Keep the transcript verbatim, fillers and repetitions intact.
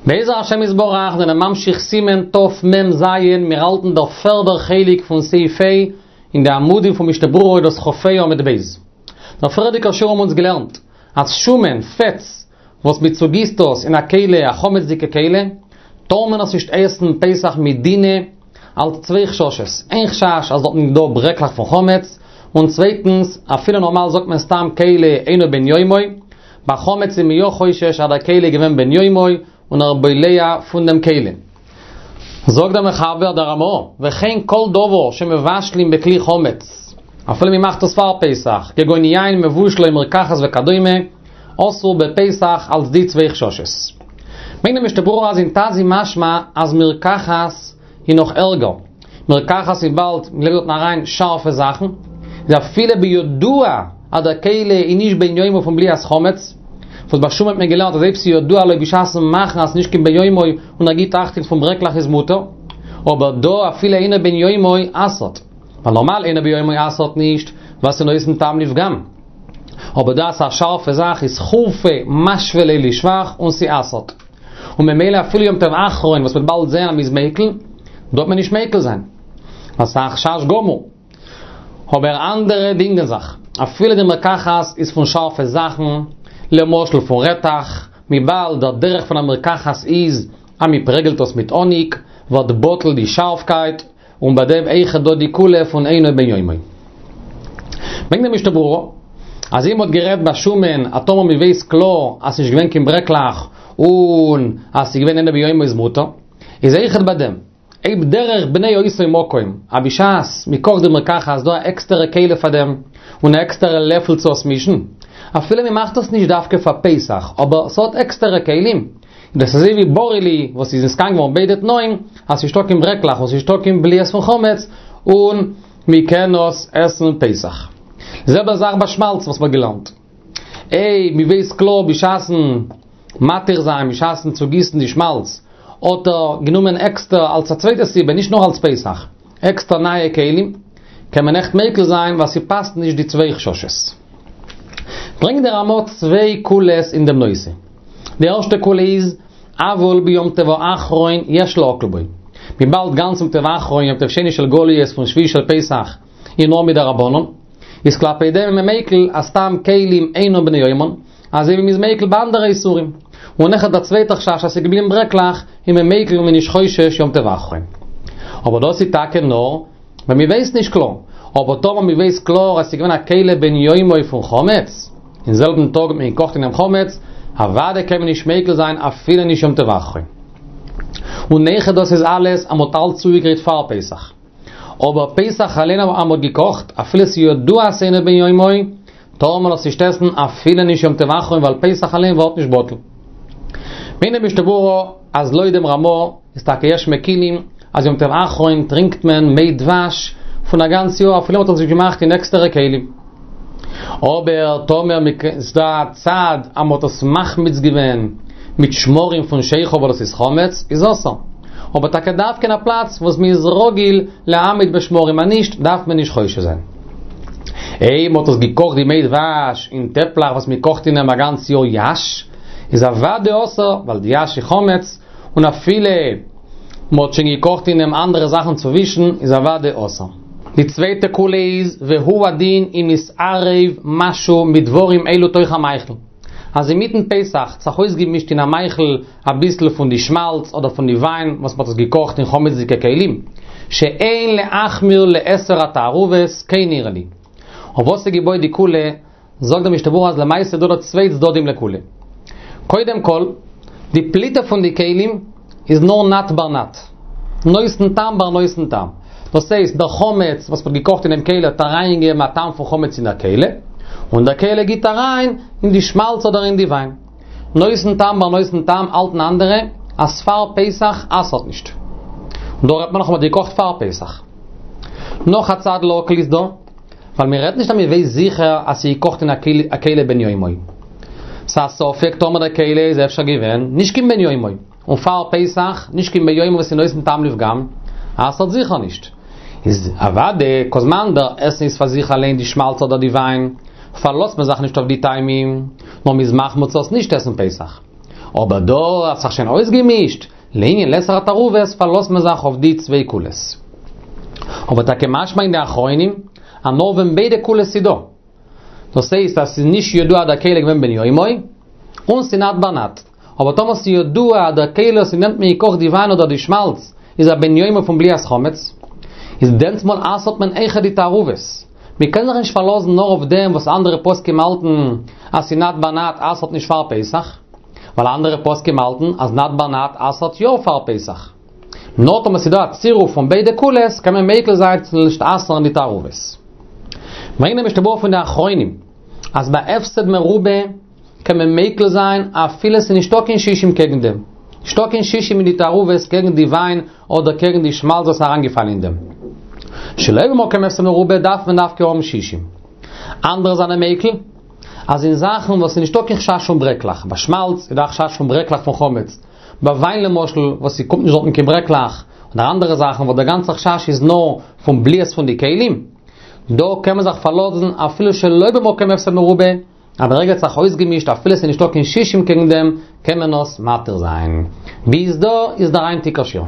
בעזר השם יתברך זענען ממשיך סימן תמ"ז, מיר האלטן דער פערדער חלק פון סעיף ה' אין די עמודים פון משנה ברורה דאס כ"ה עמוד ב'. דער פריערדיגער שיעור האבן אונז געלערנט אז שומן, פעטס, וואס מען צוגיסט דאס אין א כלי, א חמצ'דיגע כלי, טאר מען עס נישט עסן פסח מדינא, אלס צוויי חששות, איין חשש אז דארטן איז דא ברעקלעך פון חמץ, און צווייטנס, אפילו נארמאל זאגט מען סתם כלי אינו בן יומו, ביי חמץ איז מען יא חושש אז דער כלי איז געווען בן יומו, און ער בולע פון דעם כלי. זאגט דער מחבר דער רמ"א, וכן כל דבר שמבשלים בכלי חמץ, אפילו מען מאכט עס פאר פסח, כגון יין מבושל או מרקחת וכדומה, אסור בפסח אלס די צוויי חששות. ברענגט דער משנה ברורה אז אין ט"ז איז משמע אז מרקחת איז נאך ערגער. מרקחת וויבאלד מען לייגט דארטן אריין שארפע זאכן, איז אפילו בידוע אז דער כלי איז נישט בן יומו פון בליעת חמץ, וואס ביי שומן האט מען געלערנט אז אויב ס'איז ידוע לו בשעת'ן מאכן אז ס'איז נישט קיין בן יומו און ער גיט אכטונג פון ברעקלעך איז מותר, אבער דא אפילו אינו בן יומו אסר'ט, ווייל נארמאל אינו בן יומו אסר'ט נישט ווייל ס'איז נותן טעם לפגם, אבער דא אז ס'איז א שארפע זאך איז חורפא משוי ליה לשבח און ס'אסר'ט. און ממילא אפילו יום טוב אחרון וואס מ'וועט באלד זען אז מ'איז מיקל, דא וועט מען נישט מיקל זיין. ווייל ס'איז א חשש גמור. אבער אנדערע דינגען זיך. אפילו די מרקחת איז פון שארפע זאכן, למשל פון רעטעך, וויבאלד דער דרך פון א מרקחת איז אז מ'פרעגלט עס מיט האניג, ווערט בטל די שארפקייט, און ביי דעם אויכעט דא די קולא פון אינו בן יומו. ברענגט די משנה ברורה, אז אויב מ'האט גערעדט ביי שומן אז טאמער מ'ווייסט קלאר אז ס'נישט געווען קיין ברעקלעך און אז ס'איז געווען אינו בן יומו איז מותר, איז אויכעט ביי דעם, אויב דרך בני אותו מקום, אז בשעת מ'קאכט די מרקחת איז דא א עקסטערע כלי פאר דעם, און א עקסטערע לעפל צו עס מישן, אפילו מ'מאכט עס נישט דווקא פאר פסח, אבער ס'האט עקסטערע כלים, דאס איז אזוי ווי ברי לי וואס איז נתקן געווארן ביידע תנאים, אז ס'נישטא קיין ברעקלעך און ס'נישטא קיין בליעות פון חמץ, און מ'קען עס עסן פסח. די זעלבע זאך ביי שמאלץ וואס מ'האט געלערנט. אויב מ'ווייסט קלאר בשעת'ן מתיר זיין, בשעת'ן צוגיסן די שמאלץ, האט ער גענומען עקסטער אלס א צווייטע סיבה, נישט נאר אלס פסח, עקסטער נייע כלים, קען מען אויכעט מיקל זיין ווייל ס'פאסט נישט די צוויי חששות. ברענגט דער רמ"א צוויי קולות אין דעם נושא. די ערשטע קולא איז, אבל ביום טוב האחרון יש להקל בו. וויבאלד גאנץ יום טוב האחרון, יום טוב שני של גלויות פון שביעי של פסח, איז נאר מדרבנן, איז כלפי דעם איז מען מיקל אז סתם כלים אינם בני יומן, אזוי ווי מ'איז מיקל ביי אנדערע איסורים. און אויכעט דער צווייטער חשש אז ס'איז געבליבן ברעקלעך, איז מען מיקל און מ'איז נישט חושש יום טוב האחרון. אבער דאס איז טאקע נאר ווען מ'ווייסט נישט קלאר. אבער טאמער מ'ווייסט קלאר אז ס'איז געווען א כלי בן יומו פון חמץ, אין זעלבן טאג האט מען געקאכט אין דעם חמץ, אוודאי קען מען נישט מיקל זיין אפילו נישט יום טוב האחרון. און אויכעט דאס איז אלעס אז מ'האט אלץ צוגעגרייט פאר פסח. אבער פסח אליין אז מ'האט געקאכט, אפילו ס'איז ידוע אז ס'אינו בן יומו, טאר מען עס נישט עסן אפילו נישט יום טוב האחרון ווייל פסח אליין ווערט נישט בטל. ברענגט די משנה ברורה אז לויט דעם רמ"א איז טאקע יש מקילים אז יום טוב האחרון טרינקט מען מי דבש פון א גאנץ יאר אפילו מ'האט עס נישט געמאכט אין עקסטערע כלים. אבער טאמער ס'איז דא א צד אז מ'האט עס מחמיץ געווען מיט שמרים פון שכר וואס דאס איז חמץ, איז אסור. אבער טאקע דווקא אין א פלאץ וואס מ'איז רגיל להעמיד בשמרים אז נישט דארף מען נישט חושש זיין. אויב מ'האט עס געקאכט די מי דבש אין טעפלעך וואס מ'קאכט אין אים א גאנץ יאר יש, איז אוודאי אסור, ווייל די יש איז חמץ, און אפילו מ'האט שוין געקאכט אין אים אנדערע זאכן צווישן, איז אוודאי אסור. די צווייטע קולא איז, והוא הדין אם נתערב משהו מדברים אלו תוך המאכל. אז אינמיטן פסח האט זיך אויסגעמישט אין א מאכל אביסל פון די שמאלץ אדער פון די וויין וואס מ'האט עס געקאכט אין חמצ'דיגע כלים, שאין להחמיר לעשר התערובות, כן נראה לי. אויף וואס איז געבויט די קולא? זאגט דער משנה ברורה אז למעשה איז דא דא צוויי צדדים לקולא. קודם כל, די פליטה פון די כלים איז נאר נאט בר נאט. נותן טעם בר נותן טעם. דאס הייסט, דער חמץ וואס מ'האט געקאכט אינעם כלי האט אריינגעגעבן א טעם פון חמץ אין דער כלי, און דער כלי גיבט אריין אין די שמאלץ אדער אין די וויין. נותן טעם בר נותן טעם האלטן אנדערע אז פאר פסח אסר'ט נישט. און דא רעדט מען נאך אז מ'האט געקאכט פאר פסח. נאך א צד להקל איז דא. ווייל מען רעדט נישט אז מען ווייסט זיכער אז ס'איז געקאכט אין א כלי בן יומו. ס'איז א ספק טאמער דער כלי איז אפשר געווען נישט קיין בן יומו, און פאר פסח נישט קיין בן יומו וואס איז נותן טעם לפגם, אסר'ט זיכער נישט. איז אוודאי כל זמן דער עסן איז פאר זיך אליין די שמאלץ אדער די וויין, פארלאזט מען זיך נישט אויף די טעמים, נאר מ'איז מחמיר צו עס נישט עסן פסח. אבער דא האט זיך שוין אויסגעמישט, לענין לאסור התערובות פארלאזט מען זיך אויף די צוויי קולות. אבער טאקע משמע אין די אחרונים, אז נאר ווען ביידע קולות איז דא. דאס הייסט אז ס'איז נישט ידוע דער כלי געווען בן יומו, און ס'איז נאט בר נאט. אבער טאמער ס'איז ידוע אז דער כלי וואס מ'נעמט מ'קאכט די וויין אדער די שמאלץ איז א בן יומו פון בליעת חמץ, איז דענסמאל אסר'ט מען אויכעט די תערובות. מ'קען זיך נישט פארלאזן נאר אויף דעם וואס אנדערע פוסקים האלטן אז ס'איז נאט בר נאט אסר'ט נישט פאר פסח, ווייל אנדערע פוסקים האלטן אז נאט בר נאט אסר'ט יא פאר פסח. נאר טאמער ס'איז דא א צירוף פון ביידע קולות קען מען מיקל זיין צו נישט אסר'ן די תערובות. ברענגט דער משנה ברורה פון די אחרונים אז ביי הפסד מרובה קען מען מיקל זיין אפילו ס'איז נישטא קיין שישים קעגן דעם. נישטא קיין שישים אין די תערובות קעגן די וויין אדער קעגן די שמאלץ וואס איז אריינגעפאלן אין דעם. שלא במקום הפסד מרובה דארף מען דווקא האבן שישים. אנדערע זענען מיקל אז אין זאכן וואס איז נישטא קיין חשש פון ברעקלעך, ביי שמאלץ איז דא א חשש פון ברעקלעך פון חמץ, ביי וויין למשל וואס ס'קומט נישט דארטן קיין ברעקלעך, אדער אנדערע זאכן וואס דער גאנצער חשש איז נאר פון בליעות פון די כלים, דא קען מען זיך פארלאזן אפילו שלא במקום הפסד מרובה, אז ברגע האט זיך אויסגעמישט אפילו ס'איז נישטא קיין שישים קעגן דעם, קען מען עס מתיר זיין. ביז דא איז דער היינטיגער שיעור.